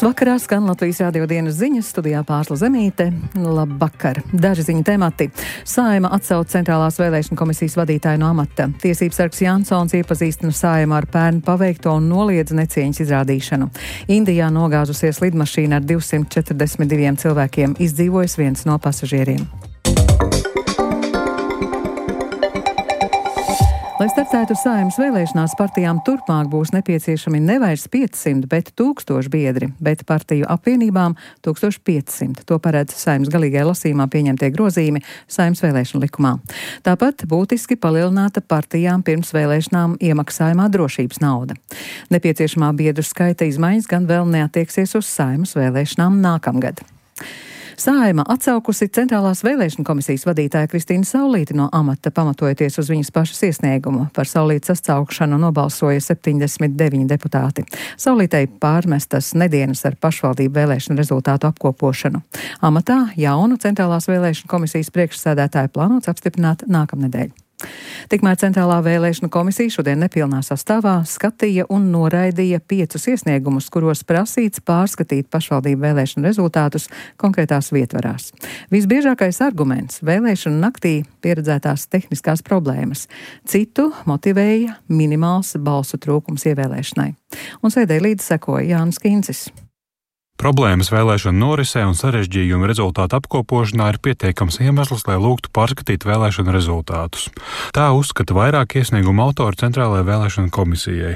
Vakarā skan Latvijas radio dienas ziņas, studijā Pārsla Zemīte. Labvakar! Daži ziņu temati. Saeima atsauc Centrālās vēlēšana komisijas vadītāju no amata. Tiesības sargs Jansons iepazīstina Saeimu ar pērn paveikto un noliedz necieņas izrādīšanu. Indijā nogāzusies lidmašīna ar 242 cilvēkiem, izdzīvojis viens no pasažieriem. Lai startētu Saeimas vēlēšanās, partijām turpmāk būs nepieciešami nevairs 500, bet 1000 biedri, bet partiju apvienībām 1500. To paredz Saeimas galīgajā lasījumā pieņemtie grozījumi Saeimas vēlēšanu likumā. Tāpat būtiski palielināta partijām pirms vēlēšanām iemaksājumā drošības nauda. Nepieciešamā biedru skaita izmaiņas gan vēl neatieksies uz Saeimas vēlēšanām nākamgad. Saeima atsaukusi Centrālās vēlēšana komisijas vadītāja Kristīnu Saulīti no amata, pamatojoties uz viņas pašas iesniegumu. Par Saulītes atsaukšanu nobalsoja 79 deputāti. Saulītei pārmestas nedēļas ar pašvaldību vēlēšanu rezultātu apkopošanu. Amatā jaunu Centrālās vēlēšana komisijas priekšsēdētāju plānots apstiprināt nākamnedēļ. Tikmēr Centrālā vēlēšana komisija šodien nepilnā sastāvā skatīja un noraidīja 5 iesniegumus, kuros prasīts pārskatīt pašvaldību vēlēšanu rezultātus konkrētās vietvarās. Visbiežākais arguments - vēlēšanu naktī pieredzētās tehniskās problēmas. Citu motivēja minimāls balsu trūkums ievēlēšanai. Un sēdē līdzi sekoja Jānis Kincis. Problēmas vēlēšanu norisē un sarežģījumu rezultātu apkopošanā ir pietiekams iemesls, lai lūgtu pārskatīt vēlēšanu rezultātus. Tā uzskata vairāk iesniegumu autori Centrālajai vēlēšanu komisijai.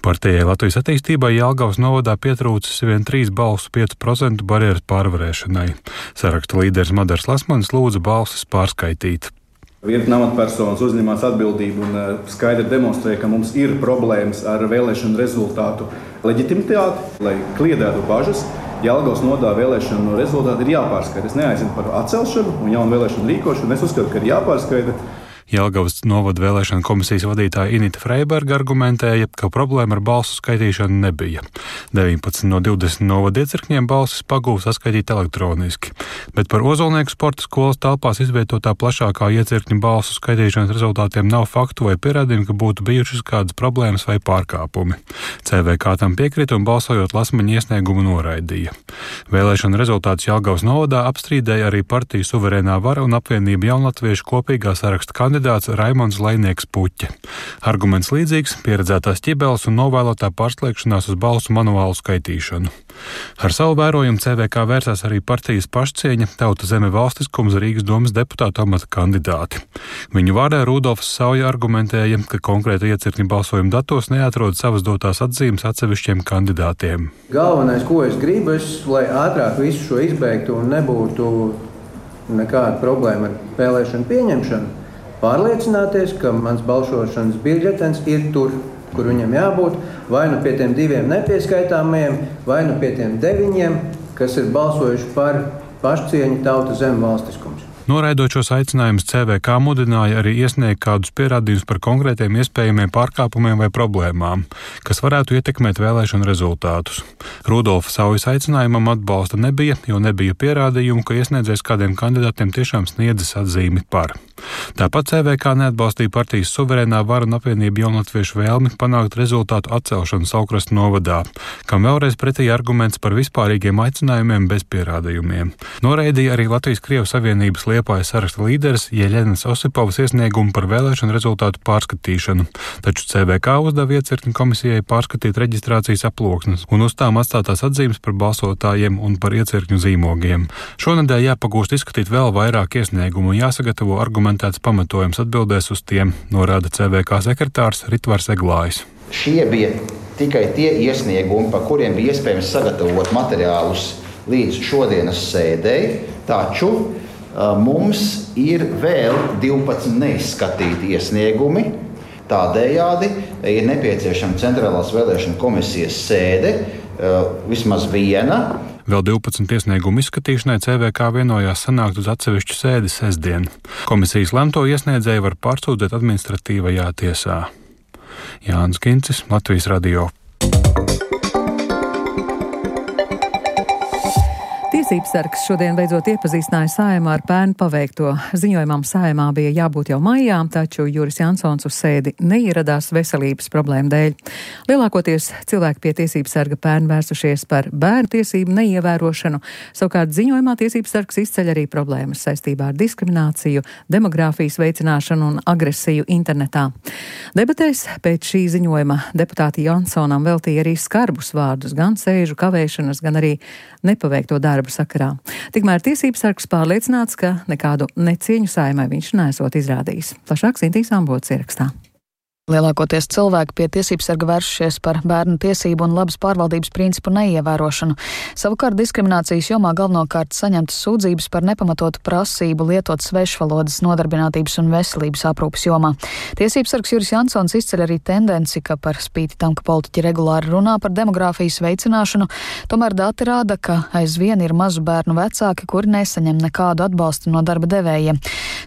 Partijai Latvijas attīstībai Jelgavas novadā pietrūcis vien 3 balsu 5% barjeras pārvarēšanai. Saraksta līderis Madars Lasmanis lūdza balsis pārskaitīt. Virkne amatpersonas uzņemās atbildību un skaidri demonstrēja, ka mums ir problēmas ar vēlēšanu rezultātu leģitimitāti, lai kliedētu bažas. Jelgavas novadā vēlēšanu rezultāti ir jāpārskaita. Es neaizinu par atcelšanu un jaunu vēlēšanu rīkošanu. Es uzskatu, ka ir jāpārskaita. Jelgavas novada vēlēšana komisijas vadītāja Inita Freiberga argumentēja, ka problēma ar balsu skaitīšanu nebija. 19 no 20 novada iecirkņiem balsis pagūs saskaitīt elektroniski, bet par Ozolnieku sporta skolas telpās izvietotā plašākā iecirkņa balsu skaitīšanas rezultātiem nav faktu vai pierādījumu, ka būtu bijušas kādas problēmas vai pārkāpumi. CVK tam piekrita un balsojot Lasmaņa iesniegumu noraidīja. Vēlēšana rezultātus Jelgavas novadā apstrīdēja arī partiju Suverēnā vara un apvienība Jaunatviešu kopīgā saraksta kandidāts Raimonds Lainieks Puķe. Arguments līdzīgs - pieredzētās ķibeles un novēlotā pārslēgšanās uz balsu manuālu skaitīšanu. Ar savu vērojumu CVK vērsās arī partijas pašcieņa, Tauta Zeme valstiskums Rīgas domas deputātu amata kandidāti. Viņu vārdā Rudolfs Sauja argumentēja, ka konkrēta iecirkņa balsojuma datos neatrod savas dotās atzīmes atsevišķiem kandidātiem. Galvenais, ko es gribu, lai ātrāk visu šo izbeigtu un nebūtu nekāda problēma ar vēlēšanu pieņemšanu. Pārliecināties, ka mans balsošanas biļetens ir tur, kur viņam jābūt, vai nu pie tiem 2 nepieskaitāmajiem, vai nu pie tiem 9, kas ir balsojuši par pašcieņu, Tauta Zeme valstiskums. Noraidot šos aicinājumus, CVK mudināja arī iesniegt kādus pierādījumus par konkrētiem iespējamiem pārkāpumiem vai problēmām, kas varētu ietekmēt vēlēšanu rezultātus. Rudolfa Saujas aicinājumam atbalsta nebija, jo nebija pierādījumu, ka iesniedzējs kādiem kandidātiem tiešām sniedzis atzīmi par. Tāpat CVK neatbalstīja partijas Suverēnā vara un apvienība Jaunatviešu vēlmi panākt rezultātu atcelšanu Saukrasta novadā, kam vēlreiz pretī arguments par vispārīgiem aicinājumiem bez pierādījumiem. Noraidīja arī Latvijas Krievu Savienības Liepājas saraksta līderis Jeļenas Osipovas iesniegumu par vēlēšanu rezultātu pārskatīšanu, taču CVK uzdeva iecirkņu komisijai pārskatīt reģistrācijas aploksnes un uz tām atstātās atzīmes par balsotājiem un par iecirkņu zīmogiem. Šonedēļ jāpagūst izskatīt vēl vairāk iesniegumu un jāsagatavo argumentēts pamatojums atbildēs uz tiem, norāda CVK sekretārs Ritvars Eglājs. Šie bija tikai tie iesniegumi, par kuriem bija iespējams sagatavot materiālus līdz šodienas sēdei, taču mums ir vēl 12 neizskatīti iesniegumi. Tādējādi ir nepieciešama Centrālās vēlēšana komisijas sēde, vismaz viena. Vēl 12 iesniegumu izskatīšanai CVK vienojās sanākt uz atsevišķu sēdi sestdien. Komisijas lemto iesniedzēju var pārsūdzēt administratīvajā tiesā. Jānis Kincis, Latvijas radio. Tiesības sargs šodien beidzot iepazīstināja Saeimu ar pērn paveikto. Ziņojumam Saeimā bija jābūt jau maijā, taču Juris Jansons uz sēdi neieradās veselības problēmu dēļ. Lielākoties cilvēki pie Tiesības sarga pērn vērsušies par bērnu tiesību neievērošanu. Savukārt ziņojumā Tiesības sargs izceļ arī problēmas saistībā ar diskrimināciju, demogrāfijas veicināšanu un agresiju internetā. Debatēs pēc šī ziņojuma deputāti Jansonam veltīja arī skarbus vārdus, gan sēžu kavēšanas, gan arī nepaveikto darbu sakarā. Tikmēr Tiesības sargs pārliecināts, ka nekādu necieņu Saeimai viņš nesot izrādījis. Plašāk Sintīs Ambots ierakstā. Lielākoties cilvēki pie Tiesības sarga vēršušies par bērnu tiesību un labas pārvaldības principu neievērošanu. Savukārt diskriminācijas jomā galvenokārt saņemtas sūdzības par nepamatotu prasību lietot svešvalodas nodarbinātības un veselības aprūpes jomā. Tiesības sargs Juris Jansons izceļ arī tendenci, ka par spīti tam, ka politiķi regulāri runā par demogrāfijas veicināšanu, tomēr dati rāda, ka aizvien ir mazu bērnu vecāki, kuri nesaņem nekādu atbalstu no darba devējiem.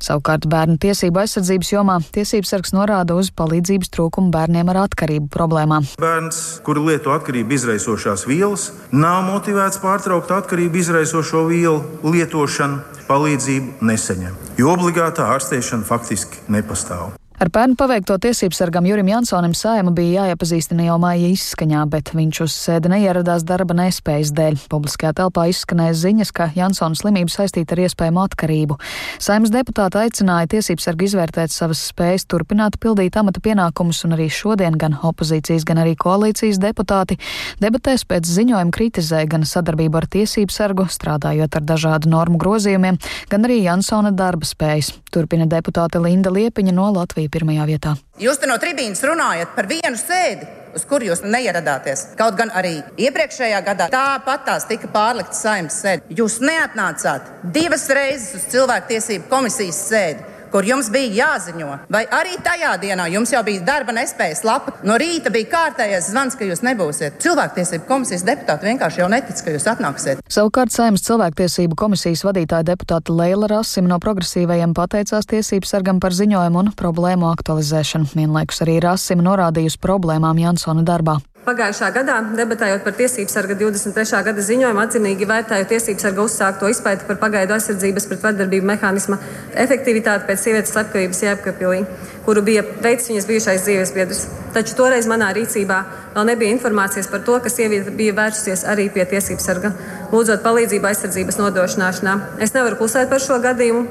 Savukārt bērnu tiesību aizsardzības jomā Tiesības sargs norāda uz palīdzību trūkumu bērniem ar atkarību problēmām. Bērns, kuri lieto atkarību izraisošās vielas, nav motivēts pārtraukt atkarību izraisošo vielu lietošanu, palīdzību nesaņem, jo obligātā ārstēšana faktiski nepastāv. Ar pērnu paveikto Tiesības sargam Jurim Jansonam Saeima bija jāiepazīstina jau maija izskaņā, bet viņš uz sēdi neieradās darba nespējas dēļ. Publiskajā telpā izskanēja ziņas, ka Jansona slimība saistīta ar iespējamu atkarību. Saeimas deputāti aicināja Tiesības sargu izvērtēt savas spējas turpināt pildīt amata pienākumus, un arī šodien gan opozīcijas, gan arī koalīcijas deputāti debatēs pēc ziņojuma kritizēja gan sadarbību ar Tiesības sargu, strādājot ar dažādu normu grozījumiem, gan arī Jansona darba spējas. Turpina deputāte Linda Liepiņa no Latvijas pirmajā vietā. Jūs te no tribīnas runājat par vienu sēdi, uz kuru jūs neieradāties. Kaut gan arī iepriekšējā gadā tāpatās tika pārlikta Saeimas sēde. Jūs neatnācāt 2 reizes uz cilvēktiesību komisijas sēdi, kur jums bija jāziņo. Vai arī tajā dienā jums jau bija darba nespējas lapa? No rīta bija kārtējais zvans, ka jūs nebūsiet. Cilvēktiesību komisijas deputāti vienkārši jau netic, ka jūs atnāksiet. Savukārt Saeimas cilvēktiesību komisijas vadītāja deputāta Leila Rasima no progresīvajiem pateicās Tiesības sargam par ziņojumu un problēmu aktualizēšanu. Vienlaikus arī Rasima norādījusi problēmām Jansona darbā. Pagājušā gadā, debatējot par Tiesības sarga 23. gada ziņojumu, atzinīgi vērtēju Tiesības sarga uzsākto izpēti par pagaidu aizsardzības pret vardarbību mehānisma efektivitāti pēc sievietes slepkavības Jēkabpilī, kuru bija veicis viņas bijušais dzīvesbiedrs. Taču toreiz manā rīcībā vēl nebija informācijas par to, ka sieviete bija vērsusies arī pie Tiesības sarga, lūdzot palīdzību aizsardzības nodrošināšanā. Es nevaru klusēt par šo gadījumu.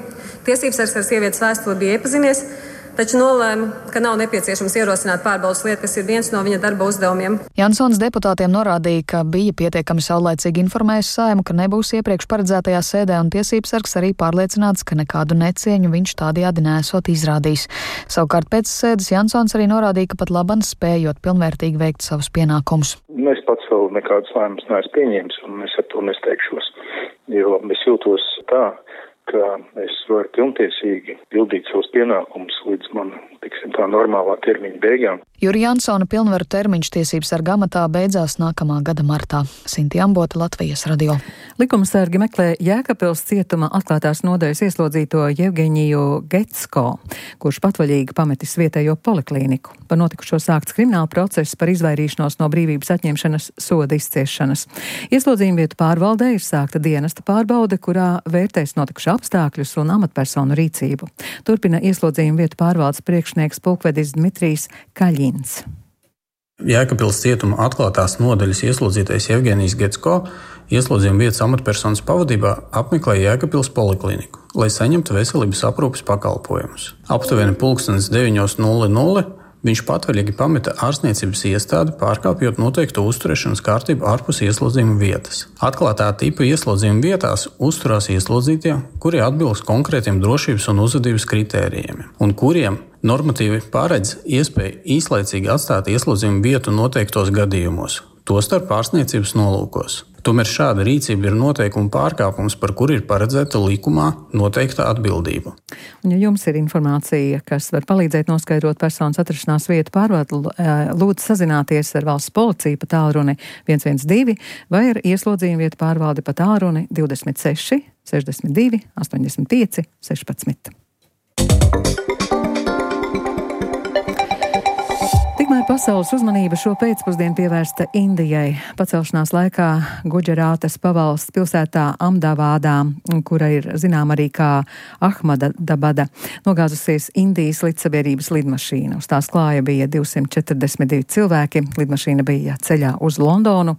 Tiesības sargs ar sievietes vēstuli bija iepazinies, taču nolēma, ka nav nepieciešams ierosināt pārbaudas lietu, kas ir viens no viņa darba uzdevumiem. Jansons deputātiem norādīja, ka bija pietiekami saulaicīgi informējis Saeimu, ka nebūs iepriekš paredzētajā sēdē, un Tiesības sargs arī pārliecināts, ka nekādu necieņu viņš tādējādi nesot izrādījis. Savukārt pēc sēdes Jansons arī norādīja, ka pat laban spējot pilnvērtīgi veikt savus pienākumus. Es pats vēl nekādus lēmumus neesmu pieņēmis, un es ar to nesteigšos, jo es jūtos tā, ka es varu pilntiesīgi pildīt savus pienākumus līdz man, tā normālā termiņa beigām. Juri Jansona pilnvaru termiņš Tiesības sarga amatā beidzās nākamā gada martā. Sintī Ambota, Latvijas radio. Likumsargi meklē Jēkabpils cietuma atklātās nodaļas ieslodzīto Jevgeņiju Getsko, kurš patvaļīgi pametis vietējo poliklīniku. Par notikušo sākts krimināla process par izvairīšanos no brīvības atņemšanas soda izciešanas. Ieslodzījuma vietu pārvaldē ir sākta dienesta pārbaude, kurā vērtēs notikušā apstākļus un amatpersonu rīcību. Turpina ieslodzījuma vietu pārvaldes priekšnieks pulkvedis Dmitrijs Kaļins. Jēkabpils cietuma atklātās nodaļas ieslodzītais Jevgeņijs Getsko ieslodzījuma vietas amatpersonas pavadībā apmeklēja Jēkabpils polikliniku, lai saņemtu veselības aprūpes pakalpojumus. Aptuveni 9:00 viņš patvaļīgi pameta ārstniecības iestādi, pārkāpjot noteiktu uzturēšanas kārtību ārpus ieslodzījuma vietas. Atklātā tipa ieslodījuma vietās uzturās ieslodzītie, kuri atbilst konkrētiem drošības un uzvedības kritērijiem, un kuriem normatīvi paredz iespēju īslaicīgi atstāt ieslodzījuma vietu noteiktos gadījumos, tostarp ārstniecības nolūkos. Tomēr šāda rīcība ir noteikuma pārkāpums, par kuru ir paredzēta likumā noteikta atbildība. Un, ja jums ir informācija, kas var palīdzēt noskaidrot personas atrašanās vietu pārvaldu, lūdzu sazināties ar valsts policiju pa tālruni 112 vai ar ieslodzījuma vietu pārvaldi pa tālruni 26 62 85 16. Tikmēr Pasaules uzmanība šo pēcpusdienu pievērsta Indijai. Pacelšanās laikā Gudžarātas pavalsts pilsētā Amdavādā, kura ir zinām arī kā Ahmadabada, nogāzusies Indijas lidsabiedrības lidmašīna. Uz tās klāja bija 242 cilvēki. Lidmašīna bija ceļā uz Londonu.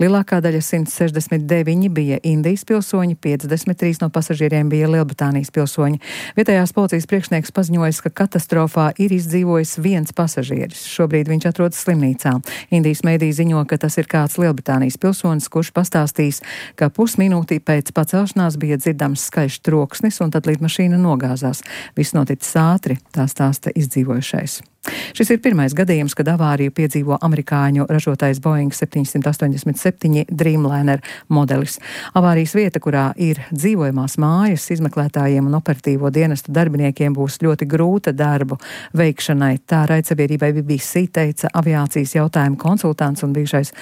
Lielākā daļa 169 bija Indijas pilsoņi, 53 no pasažieriem bija Lielbritānijas pilsoņi. Vietējās policijas priekšnieks paziņoja, ka katastrofā ir izdzīvojis viens pasažieris. Šobrīd viņš atrodas slimnīcā. Indijas mēdī ziņo, ka tas ir kāds Lielbritānijas pilsonis, kurš pastāstīs, ka pusminūtī pēc pacelšanās bija dzirdams skaļš troksnis un tad lidmašīna nogāzās. Viss noticis ātri, tā stāsta izdzīvojušais. Šis ir pirmais gadījums, kad avāriju piedzīvo amerikāņu ražotais Boeing 787 Dreamliner modelis. Avārijas vieta, kurā ir dzīvojamās mājas, izmeklētājiem un operatīvo dienestu darbiniekiem būs ļoti grūta darbu veikšanai. Tā raidsabiedrībai BBC teica aviācijas jautājumu konsultants un bijušais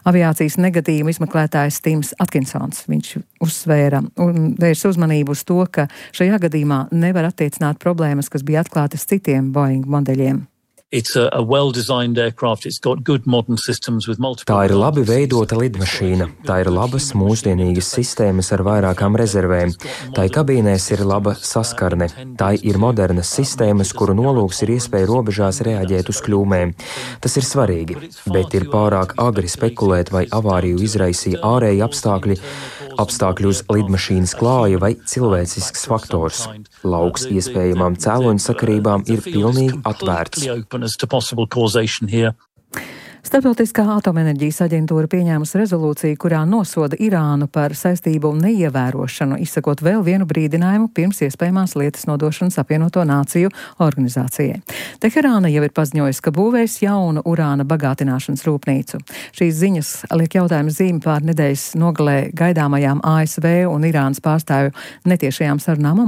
aviācijas negadījumu izmeklētājs Tims Atkinsons. Viņš uzsvēra un vērsa uzmanību uz to, ka šajā gadījumā nevar attiecināt problēmas, kas bija atklātas citiem Boeing modeļiem. Tā ir labi veidota lidmašīna, tā ir labas mūsdienīgas sistēmas ar vairākām rezervēm, tai kabīnēs ir laba saskarne, tai ir modernas sistēmas, kuru nolūks ir iespēja robežās reaģēt uz kļūmēm. Tas ir svarīgi, bet ir pārāk agri spekulēt, vai avāriju izraisīja ārēji apstākļi uz lidmašīnas klāja vai cilvēcisks faktors. Lauks iespējamām cēloņu sakarībām ir pilnīgi atvērts. Starptautiskā atomenerģijas aģentūra pieņēmusi rezolūciju, kurā nosoda Irānu par saistību neievērošanu, izsakot vēl vienu brīdinājumu pirms iespējamās lietas nodošanas Apvienoto Nāciju organizācijai. Teherāna jau ir paziņojusi, ka būvēs jaunu urāna bagātināšanas rūpnīcu. Šīs ziņas liek jautājumu zīmi pār nedēļas nogalē gaidāmajām ASV un Irānas pārstāvju netiešajām sarunām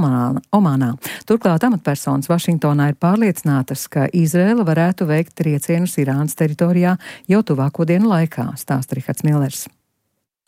Omānā. Turklāt amatpersonas Vašingtonā ir pārliecinātas, ka Izraela varētu veikt triecienus Irānas teritorijā jau tuvāko dienu laikā, stāsta Rihards Millers.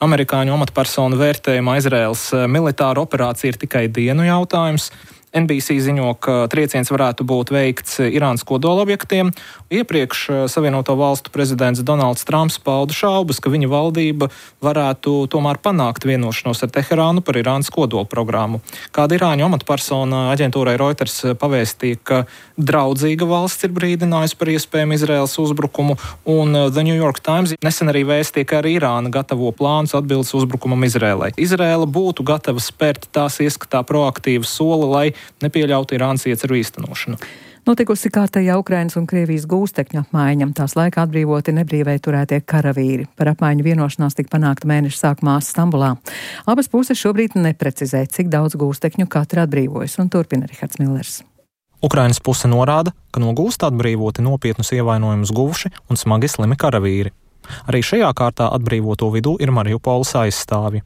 Amerikāņu amatpersonu vērtējumā Izraēlas militāra operācija ir tikai dienu jautājums. NBC ziņo, ka trieciens varētu būt veikts Irānas kodolobjektiem. Iepriekš Savienoto valstu prezidents Donalds Trumps pauda šaubas, ka viņa valdība varētu tomēr panākt vienošanos ar Teherānu par Irānas kodolprogrammu. Kāda irāņu amatpersona aģentūrai Reuters pavēstīja, ka draudzīga valsts ir brīdinājusi par iespējamu Izraēlas uzbrukumu, un The New York Times nesen arī vēstīja, ka arī Irāna gatavo plānus atbildes uzbrukumam Izraēlai. Izraēla būtu gatava spērt tās ieskatā proaktīvu soli, lai nepieļautu Irānas ieceru īstenošanu. Notikusi kārtējā Ukrainas un Krievijas gūstekņu apmaiņa. Tās laikā atbrīvoti nebrīvai turētie karavīri. Par apmaiņu vienošanās tika panākta mēneša sākumā Stambulā. Abas puses šobrīd neprecizē, cik daudz gūstekņu katra atbrīvojas, un turpina Rihards Millers. Ukrainas puse norāda, ka no gūsta atbrīvoti nopietnus ievainojumus guvuši un smagi slimi karavīri. Arī šajā kārtā atbrīvoto vidū ir Mariupoles aizstāvji.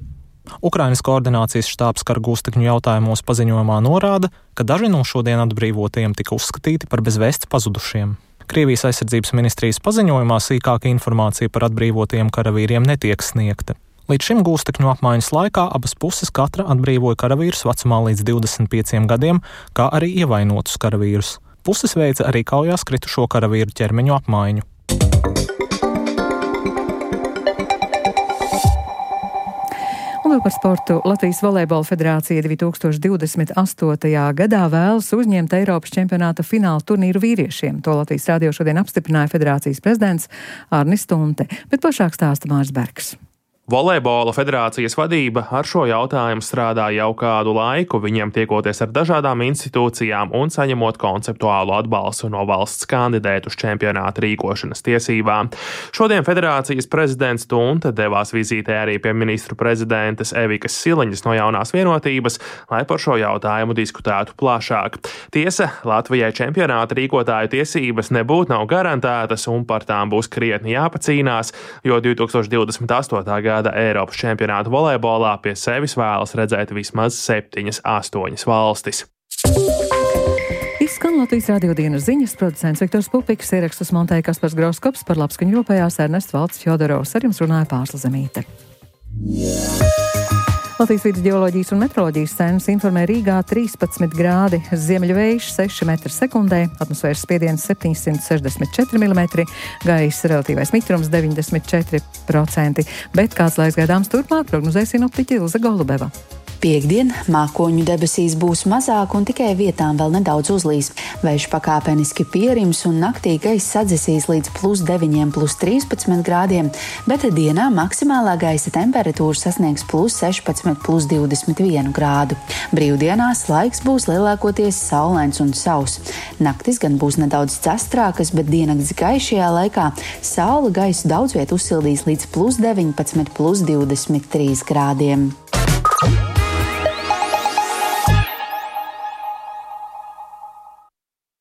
Ukrainas koordinācijas štābs kara gūstekņu jautājumos paziņojumā norāda, ka daži no šodien atbrīvotajiem tika uzskatīti par bezvēsts pazudušiem. Krievijas aizsardzības ministrijas paziņojumā sīkāka informācija par atbrīvotajiem karavīriem netiek sniegta. Līdz šim gūstekņu apmaiņas laikā abas puses katra atbrīvoja karavīrus vecumā līdz 25 gadiem, kā arī ievainotus karavīrus. Puses veica arī kaujās kritušo karavīru ķermeņu apmaiņu. Un vēl par sportu. Latvijas volejbola federācija 2028. gadā vēlas uzņemt Eiropas čempionāta fināla turnīru vīriešiem. To Latvijas radio šodien apstiprināja federācijas prezidents Arnis Stunte, bet plašāk stāsta Mārs Bergs. Volejbola federācijas vadība ar šo jautājumu strādā jau kādu laiku, viņiem tiekoties ar dažādām institūcijām un saņemot konceptuālu atbalstu no valsts kandidēt uz čempionāta rīkošanas tiesībām. Šodien federācijas prezidents Stunte devās vizītē arī pie ministru prezidentes Evikas Siliņas no Jaunās vienotības, lai par šo jautājumu diskutētu plašāk. Tiesa, Latvijai čempionāta rīkotāju tiesības nebūtu nav garantētas un par tām būs krietni jāpacīnās, jo 2028. gada Eiropas čempionāta volejbolā pie sevis vēlas redzēt vismaz 7-8 valstis. Izskan Latvijas radio dienas ziņas, producents Viktors Pupiks, ierakstus montēja Kaspars Grauskops, par labskaņu rūpējās Ernests Valds Fjodorovs, ar jums runāja Pārsla Zemīte. Latvijas Vides geoloģijas un meteoroloģijas centrs informē Rīgā 13 grādi, ziemeļu vējš 6 metri sekundē, atmosfēras spiediens 764 mm, gaisa relatīvais mitrums 94%. Bet kāds laiks gaidāms turpmāk, prognozē sinoptiķe Ilze Golubeva. Piektdien mākoņu debesīs būs mazāk un tikai vietām vēl nedaudz uzlīs. Vējš pakāpeniski pierims un naktī gaisa sadzisīs līdz +9, +13 grādiem, bet dienā maksimālā gaisa temperatūra sasniegs +16, +21 grādu. Brīvdienās laiks būs lielākoties saulains un sauss. Naktis gan būs nedaudz castrākas, bet diennakts gaišajā laikā saule gaisu daudz viet uzsildīs līdz +19, +23 grādiem.